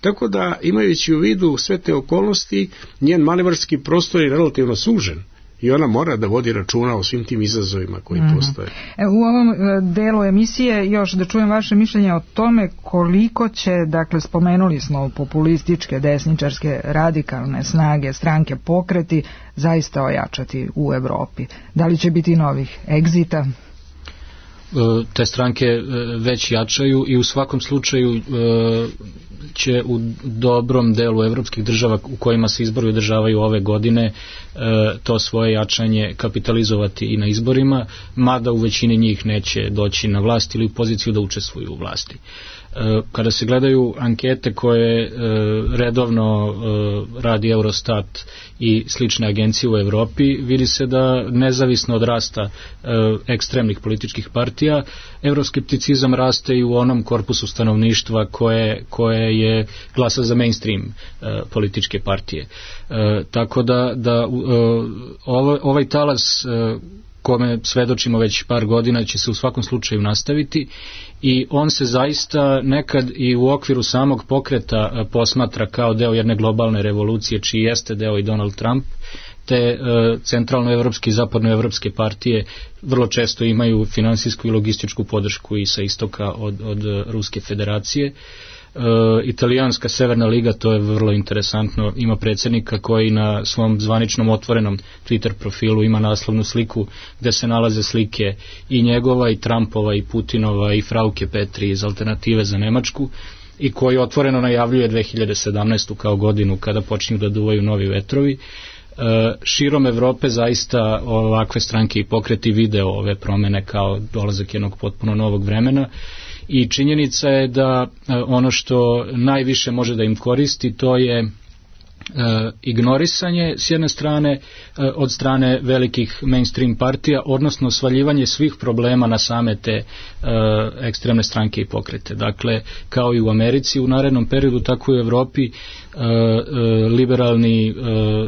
[SPEAKER 5] Tako da, imajući u vidu sve te okolnosti, njen manevarski prostor je relativno sužen i ona mora da vodi računa o svim tim izazovima koji mm-hmm. postoje.
[SPEAKER 3] E, u ovom delu emisije još da čujem vaše mišljenje o tome koliko će, dakle, spomenuli smo populističke, desničarske, radikalne snage, stranke, pokreti zaista ojačati u Evropi. Da li će biti novih egzita?
[SPEAKER 6] Te stranke već jačaju i u svakom slučaju će u dobrom delu evropskih država u kojima se izbori održavaju ove godine to svoje jačanje kapitalizovati i na izborima, mada u većini njih neće doći na vlast ili u poziciju da učestvuju u vlasti. Kada se gledaju ankete koje redovno radi Eurostat i slične agencije u Evropi, vidi se da nezavisno od rasta ekstremnih političkih partija, evroskepticizam raste i u onom korpusu stanovništva koje, koje je glasa za mainstream političke partije. Tako da, da ovaj talas kome svedočimo već par godina će se u svakom slučaju nastaviti i on se zaista nekad i u okviru samog pokreta posmatra kao deo jedne globalne revolucije čiji jeste deo i Donald Trump, te centralnoevropske i zapadnoevropske partije vrlo često imaju finansijsku i logističku podršku i sa istoka od, od Ruske federacije. Uh, italijanska Severna liga, to je vrlo interesantno, ima predsjednika koji na svom zvaničnom otvorenom Twitter profilu ima naslovnu sliku gde se nalaze slike i njegova i Trumpova i Putinova i Frauke Petri iz Alternative za Nemačku i koji otvoreno najavljuje dve hiljade sedamnaestu kao godinu kada počinju da duvaju novi vetrovi. Uh, širom Evrope zaista ovakve stranke i pokreti video ove promene kao dolazak jednog potpuno novog vremena. I činjenica je da ono što najviše može da im koristi to je e, ignorisanje s jedne strane e, od strane velikih mainstream partija, odnosno svaljivanje svih problema na same te e, ekstremne stranke i pokrete. Dakle, kao i u Americi u narednom periodu, tako i u Evropi e, e, liberalni e,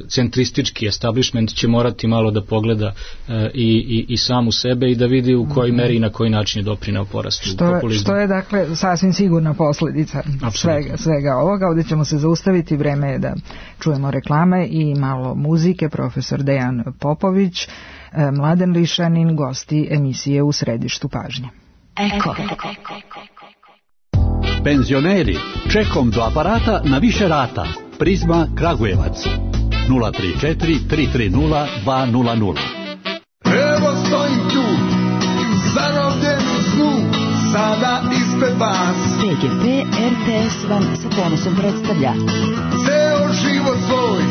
[SPEAKER 6] centristički establishment će morati malo da pogleda e, i, i, i sam u sebe i da vidi u kojoj meri i na koji način je doprineo porastu
[SPEAKER 3] što,
[SPEAKER 6] populizma.
[SPEAKER 3] Što je dakle sasvim sigurna posljedica svega, svega ovoga. Ovdje ćemo se zaustaviti, vreme je da čujemo reklame i malo muzike. Profesor Dejan Popović, Mladen Lišanin, gosti emisije U središtu pažnje.
[SPEAKER 2] Eko.
[SPEAKER 7] Penzioneri, čekom do aparata na više rata. Prizma Kragujevac nula tri četiri tri tri nula dva nula nula.
[SPEAKER 8] Evo stojim tu, zarobljen u snu, sada ispred vas.
[SPEAKER 2] P G P R T S vam sa ponosom predstavlja
[SPEAKER 8] ceo život svoj,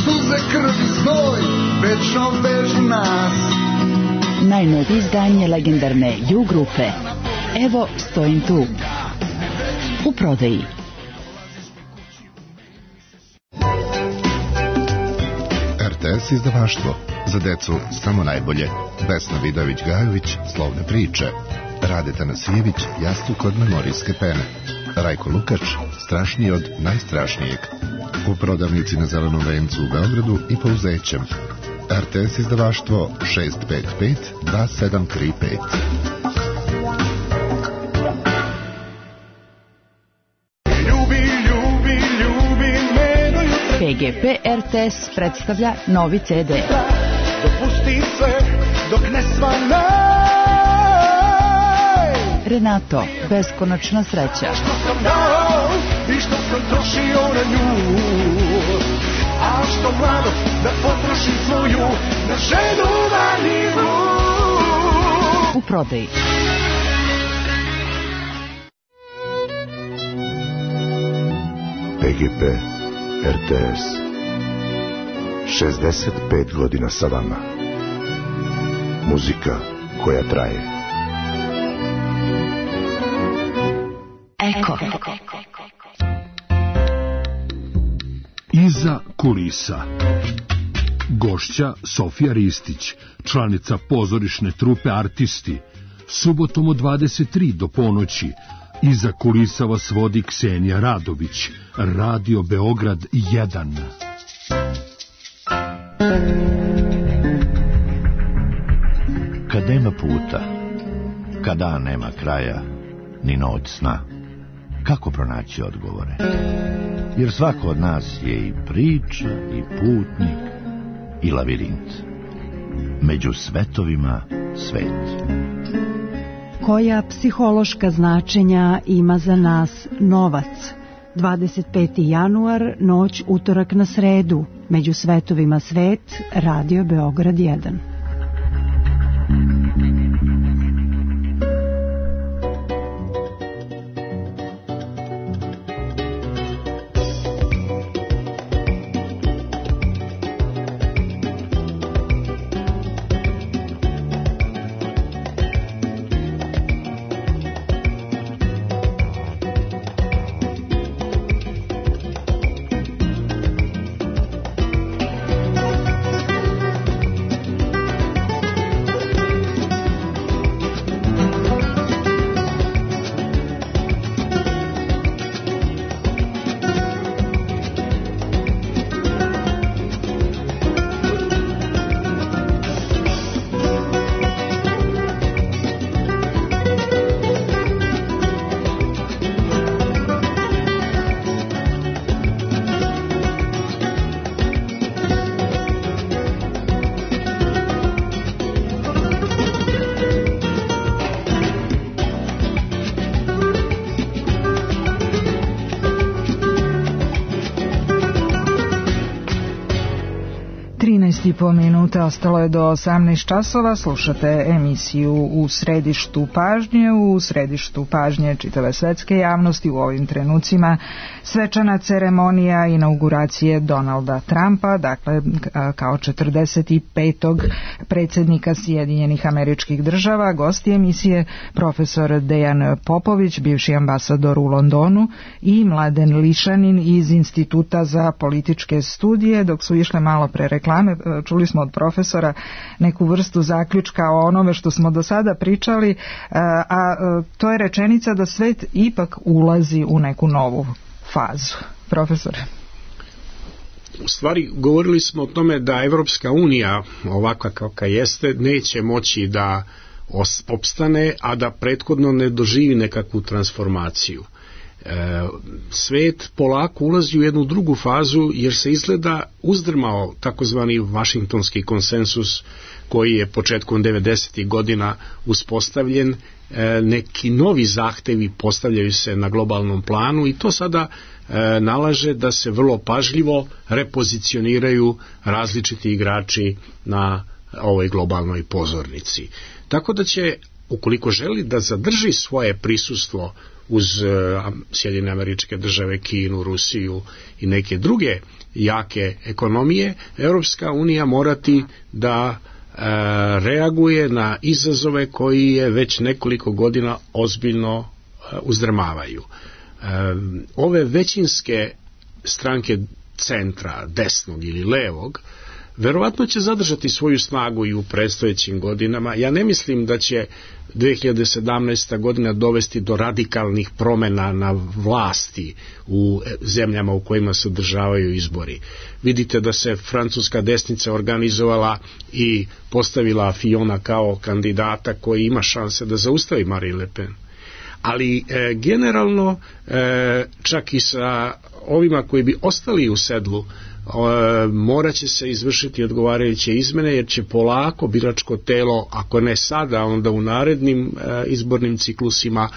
[SPEAKER 8] suze, krv i znoj, večno vežu nas.
[SPEAKER 2] najnovije izdanje legendarne U grupe. Evo stojim tu. U prodaji.
[SPEAKER 9] R T S izdavaštvo. Za decu samo najbolje. Vesna Vidović-Gajović, Slovne priče. Rade Tanasijević, Jastuk od memorijske pene. Rajko Lukač, Strašniji od najstrašnijeg. U prodavnici na Zelenom vencu u Beogradu i Pouzećem. R T S izdavaštvo šest pet pet dva sedam tri pet.
[SPEAKER 2] P G P R T S predstavlja novi C D.
[SPEAKER 8] Dopusti sve dok ne svanaj.
[SPEAKER 2] Renato, beskonačna sreća.
[SPEAKER 8] Što sam dao i što sam trošio na nju, a što mlado da potrošim svoju na ženu vaninu.
[SPEAKER 2] U prodaji.
[SPEAKER 10] P G P R T S šezdeset pet godina sa vama. Muzika koja traje.
[SPEAKER 2] Eko.
[SPEAKER 11] Iza kulisa. Gošća Sofija Ristić, članica pozorišne trupe Artisti. Subotom od dvadeset tri do ponoći. Iza kulisa vas vodi Ksenija Radović. Radio Beograd jedan.
[SPEAKER 10] Kad nema puta, kad dan nema kraja, ni noć sna, kako pronaći odgovore? Jer svako od nas je i priča, i putnik, i lavirint. Među svetovima svet.
[SPEAKER 12] Koja psihološka značenja ima za nas novac? dvadeset peti januar, noć utorak na sredu. Među svetovima svet, Radio Beograd jedan.
[SPEAKER 3] trinaest i po minuta, ostalo je do osamnaest časova, slušate emisiju U središtu pažnje. U središtu pažnje čitave svetske javnosti u ovim trenucima svečana ceremonija inauguracije Donalda Trumpa, dakle kao četrdeset petog predsjednika Sjedinjenih Američkih Država. Gosti emisije profesor Dejan Popović, bivši ambasador u Londonu, i Mladen Lišanin iz Instituta za političke studije. Dok su išle malo pre reklame, čuli smo od profesora neku vrstu zaključka o onome što smo do sada pričali, a to je rečenica da svet ipak ulazi u neku novu fazu. Profesore.
[SPEAKER 5] U stvari, govorili smo o tome da Evropska unija, ovakva kakva jeste, neće moći da opstane, a da prethodno ne doživi nekakvu transformaciju. Svet polako ulazi u jednu drugu fazu, jer se izgleda uzdrmao takozvani Vašingtonski konsensus koji je početkom devedesetih godina uspostavljen. Neki novi zahtevi postavljaju se na globalnom planu i to sada nalaže da se vrlo pažljivo repozicioniraju različiti igrači na ovoj globalnoj pozornici. Tako da će, ukoliko želi da zadrži svoje prisustvo uz Sjedinjene Američke Države, Kinu, Rusiju i neke druge jake ekonomije, Europska unija morati da e, reaguje na izazove koji je već nekoliko godina ozbiljno e, uzdrmavaju. E, ove većinske stranke centra, desnog ili levog, verovatno će zadržati svoju snagu i u predstojećim godinama. Ja ne mislim da će dve hiljade sedamnaesta godina dovesti do radikalnih promjena na vlasti u zemljama u kojima se održavaju izbori. Vidite da se francuska desnica organizovala i postavila Fiona kao kandidata koji ima šanse da zaustavi Marine Le Pen. Ali e, generalno, e, čak i sa ovima koji bi ostali u sedlu, E, morat će se izvršiti odgovarajuće izmene, jer će polako biračko telo, ako ne sada, onda u narednim e, izbornim ciklusima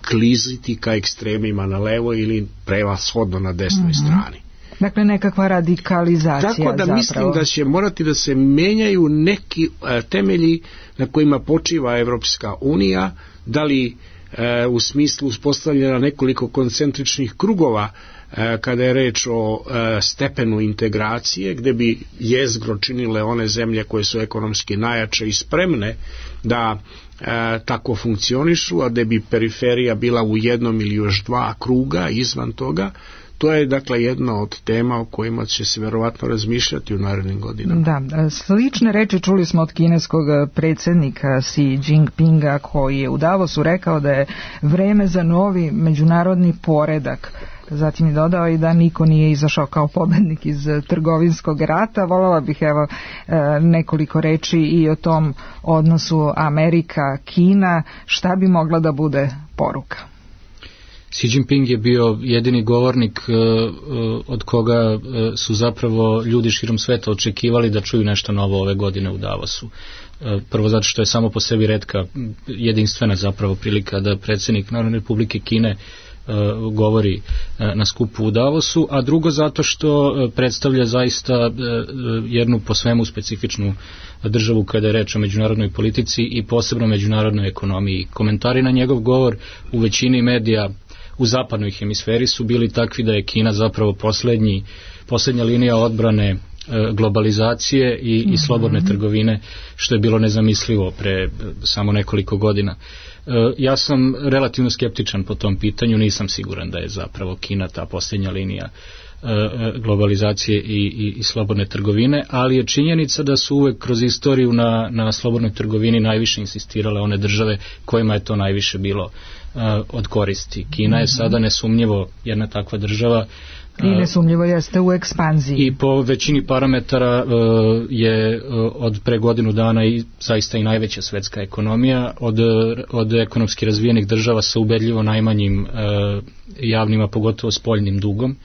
[SPEAKER 5] kliziti ka ekstremima na levo ili prevashodno na desnoj mm-hmm. strani.
[SPEAKER 3] Dakle, nekakva radikalizacija.
[SPEAKER 5] Tako da
[SPEAKER 3] zapravo.
[SPEAKER 5] Mislim da će morati da se menjaju neki e, temelji na kojima počiva Evropska unija, da li e, u smislu uspostavljena nekoliko koncentričnih krugova kada je reč o e, stepenu integracije, gde bi jezgro činile one zemlje koje su ekonomski najjače i spremne da e, tako funkcionišu, a gde bi periferija bila u jednom ili još dva kruga izvan toga. to je dakle jedna od tema o kojima će se verovatno razmišljati u narednim godinama.
[SPEAKER 3] Da, slične reči čuli smo od kineskog predsjednika Xi Jinpinga, koji je u Davosu rekao da je vreme za novi međunarodni poredak. Zatim je dodao i da niko nije izašao kao pobednik iz trgovinskog rata. Voljela bih evo nekoliko reči i o tom odnosu Amerika-Kina. Šta bi mogla da bude poruka?
[SPEAKER 6] Xi Jinping je bio jedini govornik od koga su zapravo ljudi širom sveta očekivali da čuju nešto novo ove godine u Davosu. Prvo zato što je samo po sebi retka, jedinstvena zapravo prilika da predsjednik Narodne Republike Kine govori na skupu u Davosu, a drugo zato što predstavlja zaista jednu po svemu specifičnu državu kada je reč o međunarodnoj politici i posebno međunarodnoj ekonomiji. Komentari na njegov govor u većini medija u zapadnoj hemisferi su bili takvi da je Kina zapravo posljednji, posljednja linija odbrane globalizacije i, i slobodne trgovine, što je bilo nezamislivo pre samo nekoliko godina. Ja sam relativno skeptičan po tom pitanju, nisam siguran da je zapravo Kina ta posljednja linija globalizacije i, i, i slobodne trgovine, ali je činjenica da su uvek kroz istoriju na, na slobodnoj trgovini najviše insistirale one države kojima je to najviše bilo uh, od koristi. Kina je sada nesumnjivo jedna takva država
[SPEAKER 3] i nesumnjivo jeste u ekspanziji.
[SPEAKER 6] I po većini parametara uh, je uh, od pre godinu dana i zaista i najveća svetska ekonomija od, od ekonomski razvijenih država sa ubedljivo najmanjim uh, javnim, a pogotovo spoljnim dugom.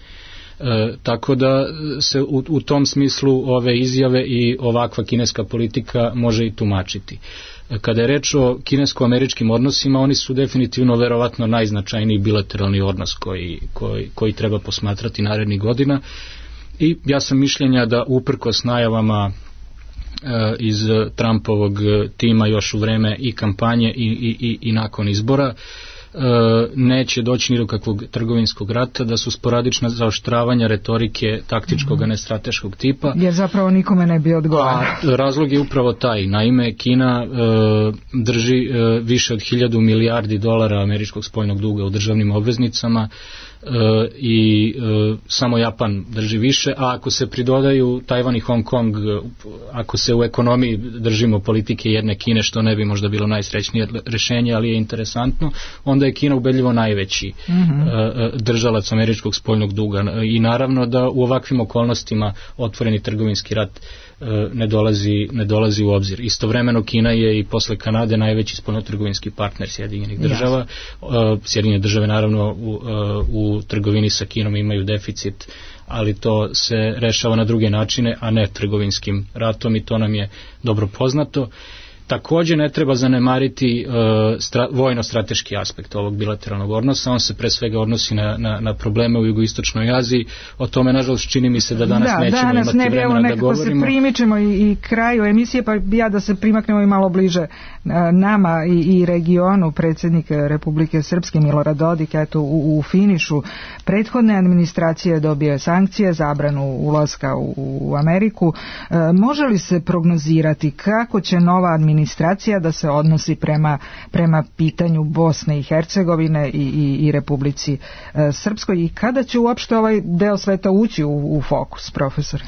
[SPEAKER 6] E, tako da se u, u tom smislu ove izjave i ovakva kineska politika može i tumačiti. Kada je reč o kinesko-američkim odnosima, oni su definitivno verovatno najznačajniji bilateralni odnos koji, koji, koji treba posmatrati narednih godina i ja sam mišljenja da uprkos najavama e, iz Trumpovog tima još u vreme i kampanje i, i, i, i nakon izbora neće doći ni do kakvog trgovinskog rata, da su sporadična zaoštravanja retorike taktičkog, a ne strateškog tipa.
[SPEAKER 3] Jer zapravo nikome ne bi odgovarao.
[SPEAKER 6] Razlog je upravo taj. Naime, Kina e, drži e, više od hiljadu milijardi dolara američkog spoljnog duga u državnim obveznicama e, i e, samo Japan drži više, a ako se pridodaju Tajvan i Hong Kong, ako se u ekonomiji držimo politike jedne Kine, što ne bi možda bilo najsrećnije rešenje, ali je interesantno, onda je Kina ubedljivo najveći mm-hmm. držalac američkog spoljnog duga i naravno da u ovakvim okolnostima otvoreni trgovinski rat ne dolazi, ne dolazi u obzir. Istovremeno Kina je i posle Kanade najveći spoljnotrgovinski partner Sjedinjenih država. Yes. Sjedinjene države naravno u, u trgovini sa Kinom imaju deficit, ali to se rešava na druge načine, a ne trgovinskim ratom i to nam je dobro poznato. Također ne treba zanemariti uh, stra, vojno-strateški aspekt ovog bilateralnog odnosa, on se pre svega odnosi na, na, na probleme u jugoistočnoj Aziji, o tome nažalost čini mi se da danas da, nećemo
[SPEAKER 3] danas
[SPEAKER 6] imati
[SPEAKER 3] ne bi,
[SPEAKER 6] vremena da govorimo.
[SPEAKER 3] Da, danas se primičemo i, i kraju emisije, pa ja da se primaknemo i malo bliže uh, nama i, i regionu. Predsjednik Republike Srpske Milorad Dodik, eto u, u finišu prethodne administracije dobio sankcije, zabranu ulaska u, u Ameriku. Uh, može li se prognozirati kako će nova administracija administracija da se odnosi prema, prema pitanju Bosne i Hercegovine i, i, i Republici e, Srpskoj i kada će uopšte ovaj deo sveta ući u, u fokus, profesore?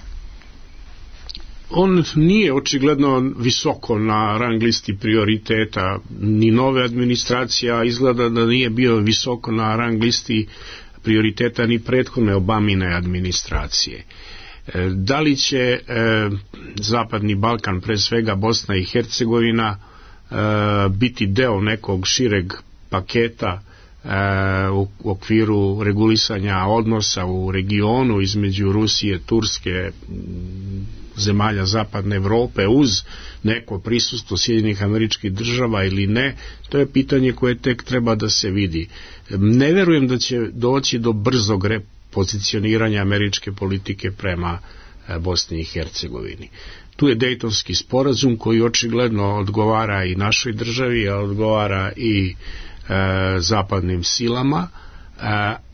[SPEAKER 5] On nije očigledno visoko na rang listi prioriteta ni nove administracije, a izgleda da nije bio visoko na rang listi prioriteta ni prethodne Obamine administracije. Da li će e, Zapadni Balkan, pre svega Bosna i Hercegovina, e, biti deo nekog šireg paketa e, u, u okviru regulisanja odnosa u regionu između Rusije, Turske, zemalja Zapadne Evrope uz neko prisustvo Sjedinjenih Američkih Država ili ne, to je pitanje koje tek treba da se vidi. Ne verujem da će doći do brzog pozicioniranja američke politike prema Bosni i Hercegovini. Tu je Dejtonski sporazum koji očigledno odgovara i našoj državi, a odgovara i e, zapadnim silama, e,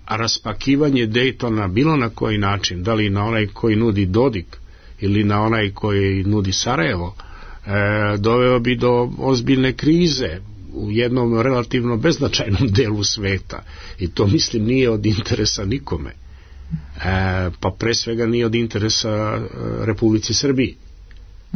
[SPEAKER 5] a raspakivanje Dejtona bilo na koji način, da li na onaj koji nudi Dodik ili na onaj koji nudi Sarajevo, e, doveo bi do ozbiljne krize u jednom relativno beznačajnom delu sveta i to mislim nije od interesa nikome. E, pa pre svega nije od interesa e, Republici Srbiji,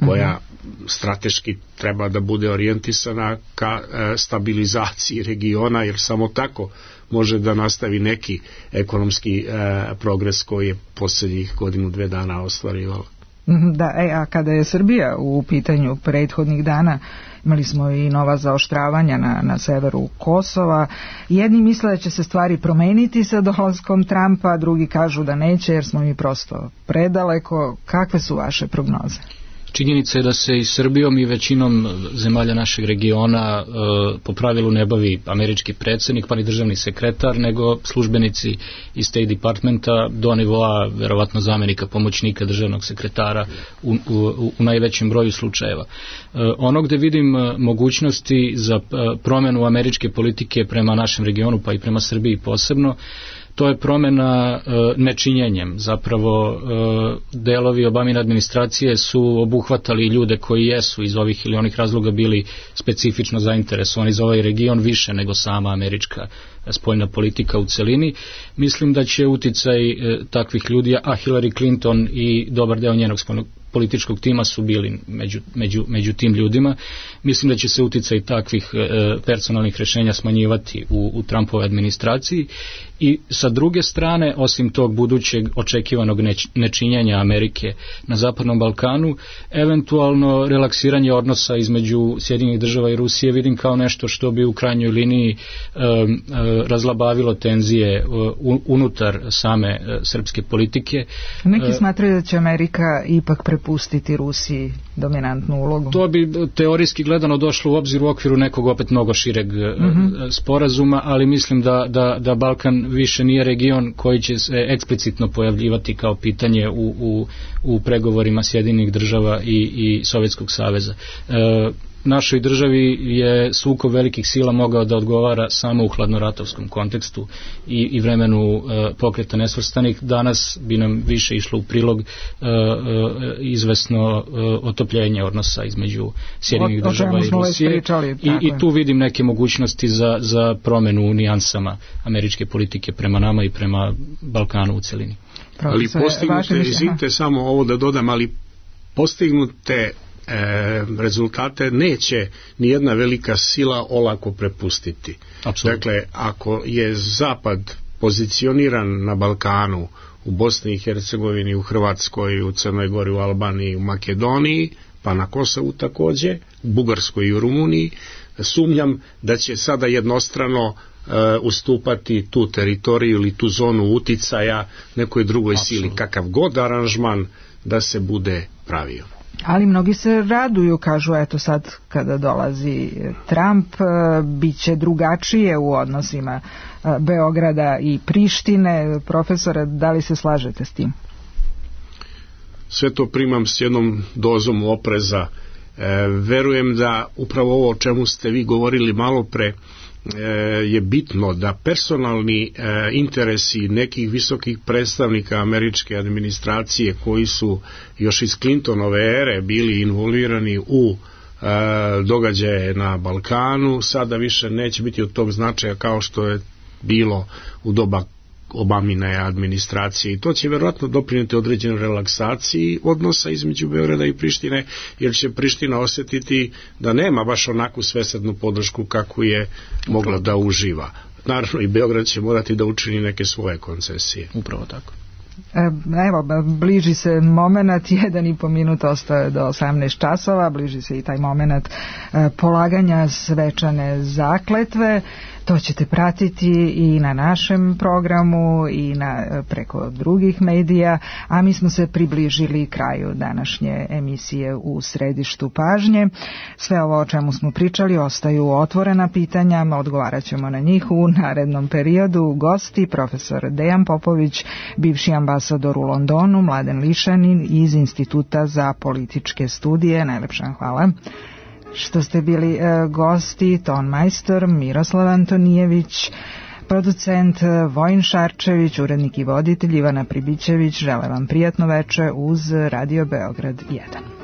[SPEAKER 5] koja strateški treba da bude orijentisana ka e, stabilizaciji regiona, jer samo tako može da nastavi neki ekonomski e, progres koji je posljednjih godinu, dve dana ostvarivala.
[SPEAKER 3] Da, e, a kada je Srbija u pitanju prethodnih dana, imali smo i nova zaoštravanja na, na severu Kosova. Jedni misle da će se stvari promeniti sa dolaskom Trumpa, drugi kažu da neće jer smo mi prosto predaleko. Kakve su vaše prognoze?
[SPEAKER 6] Činjenica je da se i Srbijom i većinom zemalja našeg regiona e, po pravilu ne bavi američki predsjednik pa ni državni sekretar, nego službenici iz State Departmenta do nivoa verovatno zamjenika pomoćnika državnog sekretara u, u, u najvećem broju slučajeva. E, ono gde vidim mogućnosti za e, promjenu američke politike prema našem regionu pa i prema Srbiji posebno, to je promjena e, nečinjenjem. Zapravo e, delovi Obamine administracije su obuhvatali ljude koji jesu iz ovih ili onih razloga bili specifično zainteresovani za ovaj region više nego sama američka spoljna politika u celini. Mislim da će uticaj e, takvih ljudi, a Hillary Clinton i dobar deo njenog spoljnog političkog tima su bili među, među, među tim ljudima. Mislim da će se uticaj takvih e, personalnih rješenja smanjivati u, u Trumpove administraciji i sa druge strane, osim tog budućeg očekivanog neć, nečinjenja Amerike na Zapadnom Balkanu, eventualno relaksiranje odnosa između Sjedinjenih država i Rusije vidim kao nešto što bi u krajnjoj liniji e, e, razlabavilo tenzije e, unutar same e, srpske politike.
[SPEAKER 3] Neki smatraju da će Amerika ipak prepustiti Rusiji dominantnu ulogu.
[SPEAKER 6] To bi teorijski gledano došlo u obzir u okviru nekog opet mnogo šireg mm-hmm. sporazuma, ali mislim da, da, da Balkan više nije region koji će se eksplicitno pojavljivati kao pitanje u, u, u pregovorima Sjedinjenih država i, i Sovjetskog saveza. E, našoj državi je sukob velikih sila mogao da odgovara samo u hladnoratovskom kontekstu i, i vremenu e, pokreta nesvrstanih. Danas bi nam više išlo u prilog e, e, izvesno e, otopljenje odnosa između Sjedinjenih država i Rusije i, i tu vidim neke mogućnosti za, za promjenu u nijansama američke politike prema nama i prema Balkanu u celini.
[SPEAKER 5] Ali postignute, izvinite samo ovo da dodam, ali postignute E, rezultate neće ni jedna velika sila olako prepustiti.
[SPEAKER 6] Absolutno.
[SPEAKER 5] Dakle, ako je Zapad pozicioniran na Balkanu, u Bosni i Hercegovini, u Hrvatskoj, u Crnoj Gori, u Albaniji, u Makedoniji, pa na Kosovu takođe, u Bugarskoj i u Rumuniji, sumnjam da će sada jednostrano e, ustupati tu teritoriju ili tu zonu uticaja nekoj drugoj Absolutno. Sili, kakav god aranžman da se bude pravio.
[SPEAKER 3] Ali mnogi se raduju, kažu eto sad kada dolazi Trump bit će drugačije u odnosima Beograda i Prištine. Profesore, da li se slažete s tim?
[SPEAKER 5] Sve to primam s jednom dozom opreza. E, verujem da upravo ovo o čemu ste vi govorili malo pre je bitno, da personalni e, interesi nekih visokih predstavnika američke administracije koji su još iz Clintonove ere bili involvirani u e, događaje na Balkanu sada više neće biti od tog značaja kao što je bilo u doba Obamine administracije i to će vjerojatno doprinijeti određenoj relaksaciji odnosa između Beograda i Prištine, jer će Priština osjetiti da nema baš onakvu svesrdnu podršku kakvu je mogla da uživa. Naravno i Beograd će morati da učini neke svoje koncesije.
[SPEAKER 6] Upravo tako.
[SPEAKER 3] Evo, bliži se moment, jedan i po minut ostaje do osamnaest časova, bliži se i taj moment polaganja svečane zakletve. To ćete pratiti i na našem programu i na, preko drugih medija, a mi smo se približili kraju današnje emisije U središtu pažnje. Sve ovo o čemu smo pričali ostaju otvorena pitanja, odgovarat ćemo na njih u narednom periodu. Gosti profesor Dejan Popović, bivši ambasador u Londonu, Mladen Lišanin iz Instituta za političke studije. Najlepša hvala što ste bili e, gosti, ton majstor Miroslav Antonijević, producent Vojin Šarčević, urednik i voditelj Ivana Pribićević. Želim vam prijatno veče uz Radio Beograd jedan.